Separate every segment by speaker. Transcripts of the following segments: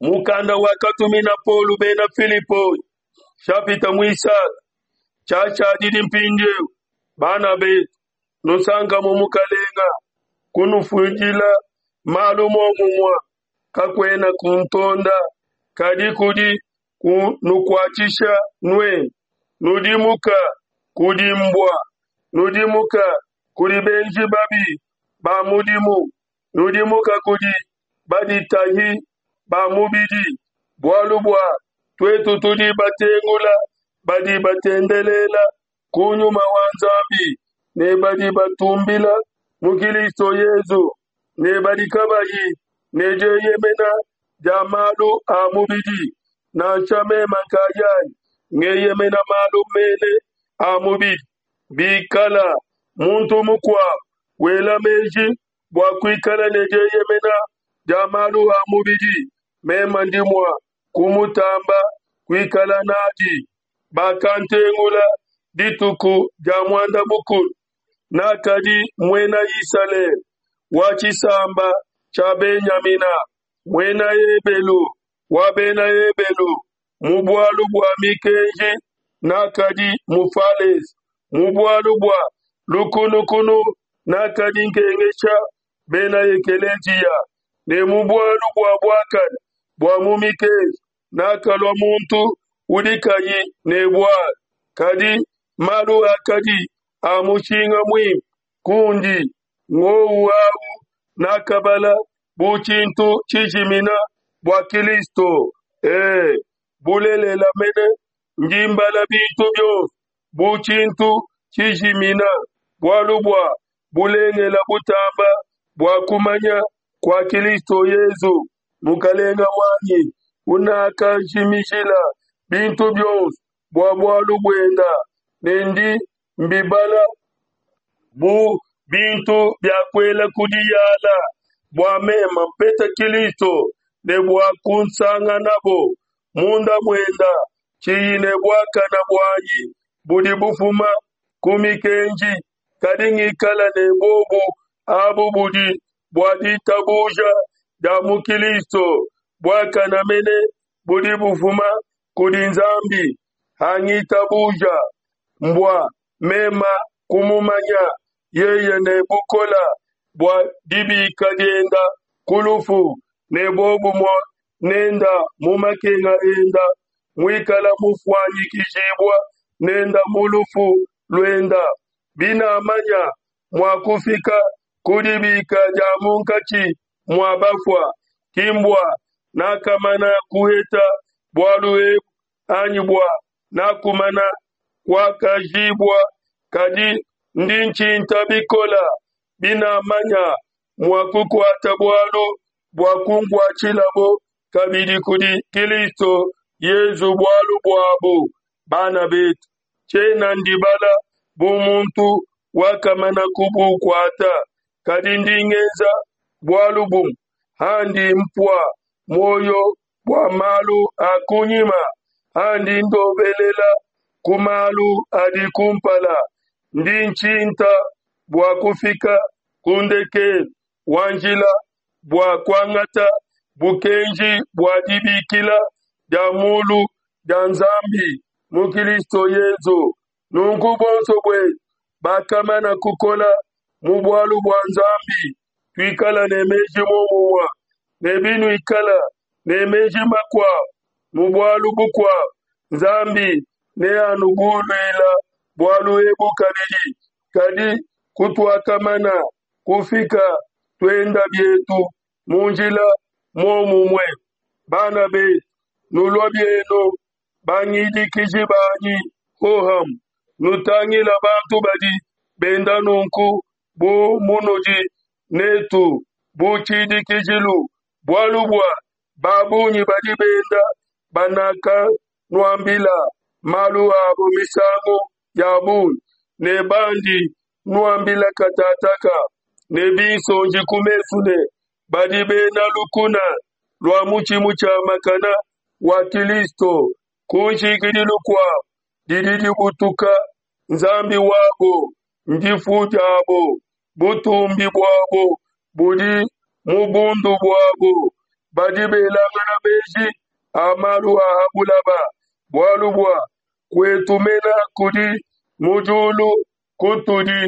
Speaker 1: Mukanda wakatumina Paulo bena Filipoi, nshapita muisatu. Tshiashadidi mpindieu, bana betu, nusanka mu Mukalenga. Kunufundila malu muomumue kakuena kuntonda, kadi kudi kunukuatshisha nuenu. Nudimuka kudi mbua, nudimuka kudi benji babi ba mudimu, nudimuka kudi baditahi ba mubidi, bualu bua tuetu tudi batengula badi batendelela ku Nyuma wa Nzambi ne badi batumbila mu Kilisto Yezu ne badi kabayi ne dieyemena dia malu a mubidi, nansha meme nkayanyi ngeyemena malu mene a mubidi. Bikala muntu mukuabu wela meji bua kuikala ne dieyemena dia malu a mubidi, meme ndi mua kumutamba kuikala nadi. Bakantengula dituku dia muanda mukulu, nakadi muena Isalele wa tshisamba tshia Benyamina, muena Ebelu wa bena Ebelu, mu bualu bua mikenji nakadi Mufalese, mu bualu bua lukunukunu nakadi nkengesha bena ekeleziya, ne mu bualu bua buakane bua mu mikenji nakalua muntu udi kayi ne bualu. Kadi malu akadi a mushinga muimpe kundi ngowu au nakabala bu tshintu tshijimina bua Kilisto. E, bulelela mene ndi mbala bintu bionso bu tshintu tshijimina, bualu bua bulengela butamba bua kumanya kua Kilisto Yezu Mukalenga wanyi, unakajimijila bintu bionso bua bualu buenda, ne ndi mbibala bu bintu bia kuela ku diyala, bua meme mpeta Kilisto ne bua kunsanganabo munda muenda, tshiyi ne buakana buanyi budi bufuma ku mikenji, kadi ngikala ne bobu abu budi bua ditabuja dia mu Kilisto, buakana mene budi bufuma kudi Nzambi hangitabuja, mbua mema kumumanya yeye ne bukola bua dibika dienda ku lufu, ne bobumue nenda mu makenga enda, muikala mufuanyikijibua nenda mu lufu luenda, binamanya mua kufika ku dibika dia munkatshi mua bafua, ki mbua nakamana kuheta bualu ebu anyi bua nakumana kuakajibua, kadi ndi ntshinta bikola binamanya mua kukuata bualu bua kunkuatshilabo kabidi kudi Kilisto Yezu bualu buabu. Bana betu, tshiena ndibala bu muntu wakamana kubukuata, kadi ndi ngenza bualu bumue, handi mpua muoyo bua malu a kunyima, andi ndobelela ku malu adi kumpala, ndi ntshinta bua kufika ku ndekelu wa njila bua kuangata bukenji bua dibikila dia mulu dia Nzambi mu Kilisto Yezu. Nunku bonso buetu bakamana kukola mu bualu bua Nzambi, tuikala ne meji muomumue, ne binuikala ne meji makuabu mu bualu bukuabu, Nzambi neanubuluila bualu ebu kabidi. Kadi kutuakamana kufika, tuenda bietu mu njila muomumue. Bana betu, nulua bienu bangidikiji banyi hohamue, nutangila bantu badi benda nunku bu munudi netu bu tshidikijilu, bualu bua ba bungi badi benda banakanuambila malu abo misangu ya bungi, ne bandi nuambila katataka ne binsonji ku mesu ne, badi bena lukuna lua mutshi mutshiamakana wa Kilisto. Ku nshikidilu kuabu didi dibutuka, Nzambi wabo ndifu diabo, butumbi buabo budi mu bundu buabo. Badi belangana meji a malu a ha bulaba, bualu bua kuetu mena kudi mu diulu kutudi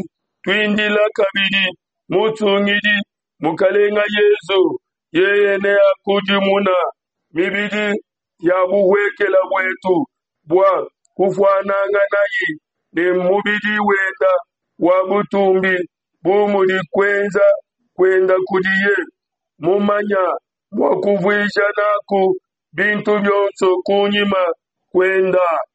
Speaker 1: tuindila kabidi Musungidi, Mukalenga Yesu. Yeye neakudimuna mibidi ya buhuekela buetu bua kufuananganayi ne mubidi wenda wa butumbi, bu mudi kuenza kuenda kudiye mumanya mua kuvuija naku bintu bionso kunyima kuenda.